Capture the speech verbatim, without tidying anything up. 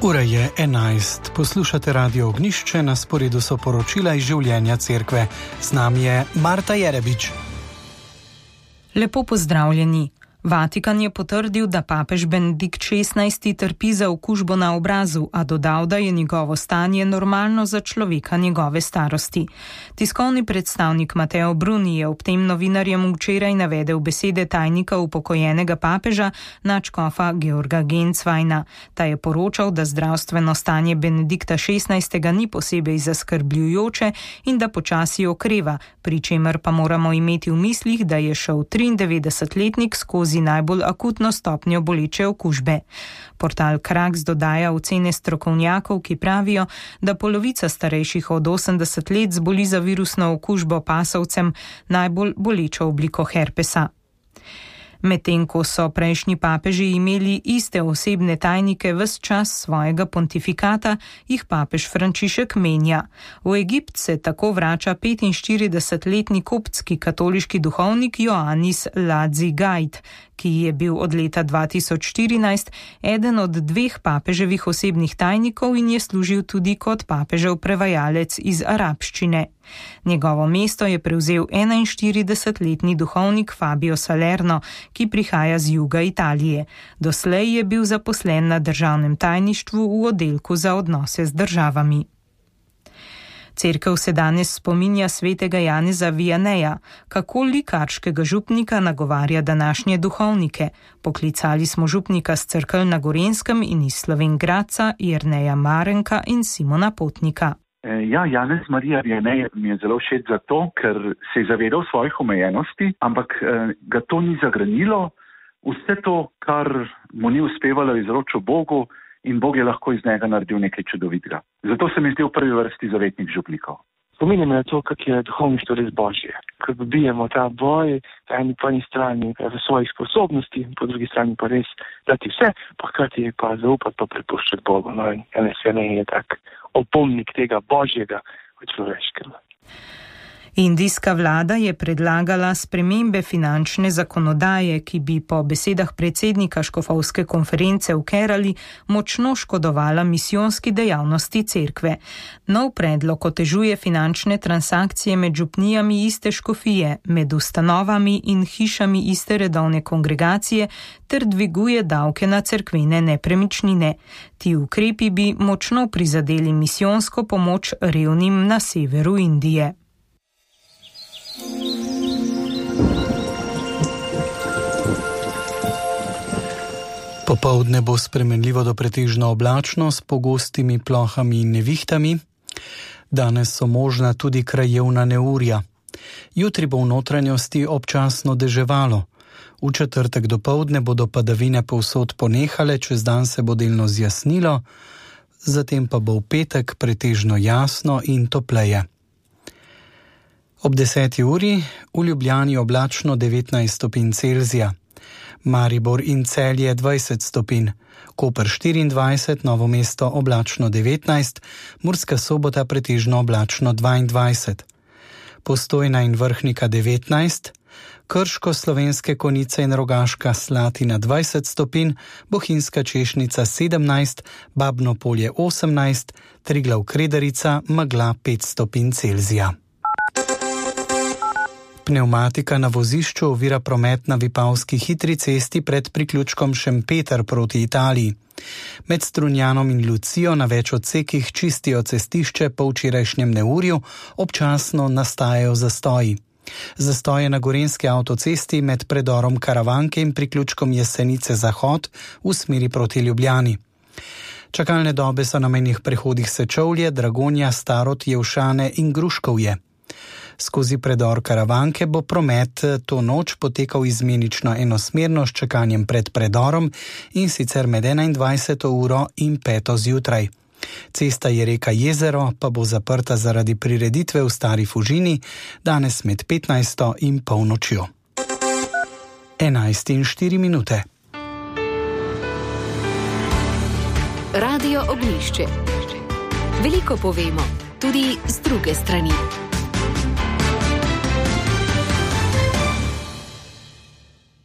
Ura je enajst. Poslušate Radio Ognjišče, na sporedu so poročila iz življenja cerkve. Z nami je Marta Jerebič. Lepo pozdravljeni. Vatikan je potrdil, da papež Benedikt šestnajsti trpi za okužbo na obrazu, a dodal, da je njegovo stanje normalno za človeka njegove starosti. Tiskovni predstavnik Matteo Bruni je ob tem novinarjem včeraj navedel besede tajnika upokojenega papeža, nadškofa Georga Gensweina. Ta je poročal, da zdravstveno stanje Benedikta šestnajstega ni posebej zaskrbljujoče in da počasi okreva, pri čemer pa moramo imeti v mislih, da je šel triindevetdesetletnik skozi najbolj akutno stopnjo boleče okužbe. Portal Kraks dodaja ocene strokovnjakov, ki pravijo, da polovica starejših od osemdeset let zboli za virusno okužbo pasovcem, najbolj bolečo obliko herpesa. Medtem ko so prejšnji papeži imeli iste osebne tajnike ves čas svojega pontifikata, jih papež Frančišek menja. V Egipt se tako vrača petinštiridesetletni koptski katoliški duhovnik Ioannis Ladzi Gajt, ki je bil od leta dva tisoč štirinajst eden od dveh papeževih osebnih tajnikov in je služil tudi kot papežev prevajalec iz arabščine. Njegovo mesto je prevzel enainštiridesetletni duhovnik Fabio Salerno, ki prihaja z juga Italije. Doslej je bil zaposlen na državnem tajništvu v oddelku za odnose z državami. Cerkev se danes spominja svetega Janeza Vianeja, kako likarškega župnika nagovarja današnje duhovnike. Poklicali smo župnika z Cerkelj na Gorenjskem in iz Slovenj Gradca, Jerneja Marenka in Simona Potnika. Ja, Janez Marija Vianej mi je zelo všeč zato, ker se je zavedal svojih omejenosti, ampak eh, ga to ni zagranilo. Vse to, kar mu ni uspevalo, je izročil Bogu in Bog je lahko iz njega naredil nekaj čudovitega. Zato se mi zdi v prvi vrsti zavetnik župnikov. Spominjam na to, kak je duhovništvo res Božje. Ko dobijemo ta boj, eni po eni strani v svojih sposobnosti, po drugi strani pa res dati vse, pa hkrati pa zaupati pa prepuščati Bogu. No, in Janez Vianej je tak opomnik tega Božjega v človeškem. Indijska vlada je predlagala spremembe finančne zakonodaje, ki bi po besedah predsednika škofovske konference v Kerali močno škodovala misijonski dejavnosti cerkve. Nov predlog otežuje finančne transakcije med župnijami iste škofije, med ustanovami in hišami iste redovne kongregacije ter dviguje davke na cerkvene nepremičnine. Ti ukrepi bi močno prizadeli misijonsko pomoč revnim na severu Indije. Popoldne bo spremenljivo do pretežno oblačno s pogostimi plohami in nevihtami. Danes so možna tudi krajevna neurja. Jutri bo v notranjosti občasno deževalo. V četrtek dopoldne bodo padavine povsod ponehale, čez dan se bo delno zjasnilo, zatem pa bo v petek pretežno jasno in topleje. Ob deseti uri v Ljubljani oblačno devetnajst stopinj Celzija, Maribor in Celje dvajset stopinj, Koper štiriindvajset, Novo mesto oblačno devetnajst, Murska Sobota pretežno oblačno dvaindvajset, Postojna in Vrhnika devetnajst, Krško, Slovenske Konjice in Rogaška Slatina dvajset stopinj, Bohinjska Češnica sedemnajst, Babno Polje osemnajst, Triglav Kredarica megla pet stopinj Celzija. Pnevmatika na vozišču ovira promet na Vipavski hitri cesti pred priključkom Šempeter proti Italiji. Med Strunjanom in Lucijo na več odsekih čistijo cestišče po včerajšnjem neurju, občasno nastajajo zastoji. Zastoje na Gorenjski avtocesti med predorom Karavanke in priključkom Jesenice Zahod v smeri proti Ljubljani. Čakalne dobe so na mejnih prehodih Sečovlje, Dragonja, Starod, Jevšane in Gruškovje. Skozi predor Karavanke bo promet to noč potekal izmenično enosmerno s čakanjem pred predorom in sicer med enaindvajseto uro in peto zjutraj. Cesta je reka Jezero pa bo zaprta zaradi prireditve v Stari Fužini danes med petnajsto in polnočjo. enajst in štiri minute. Radio Ognjišče. Veliko povemo, tudi z druge strani.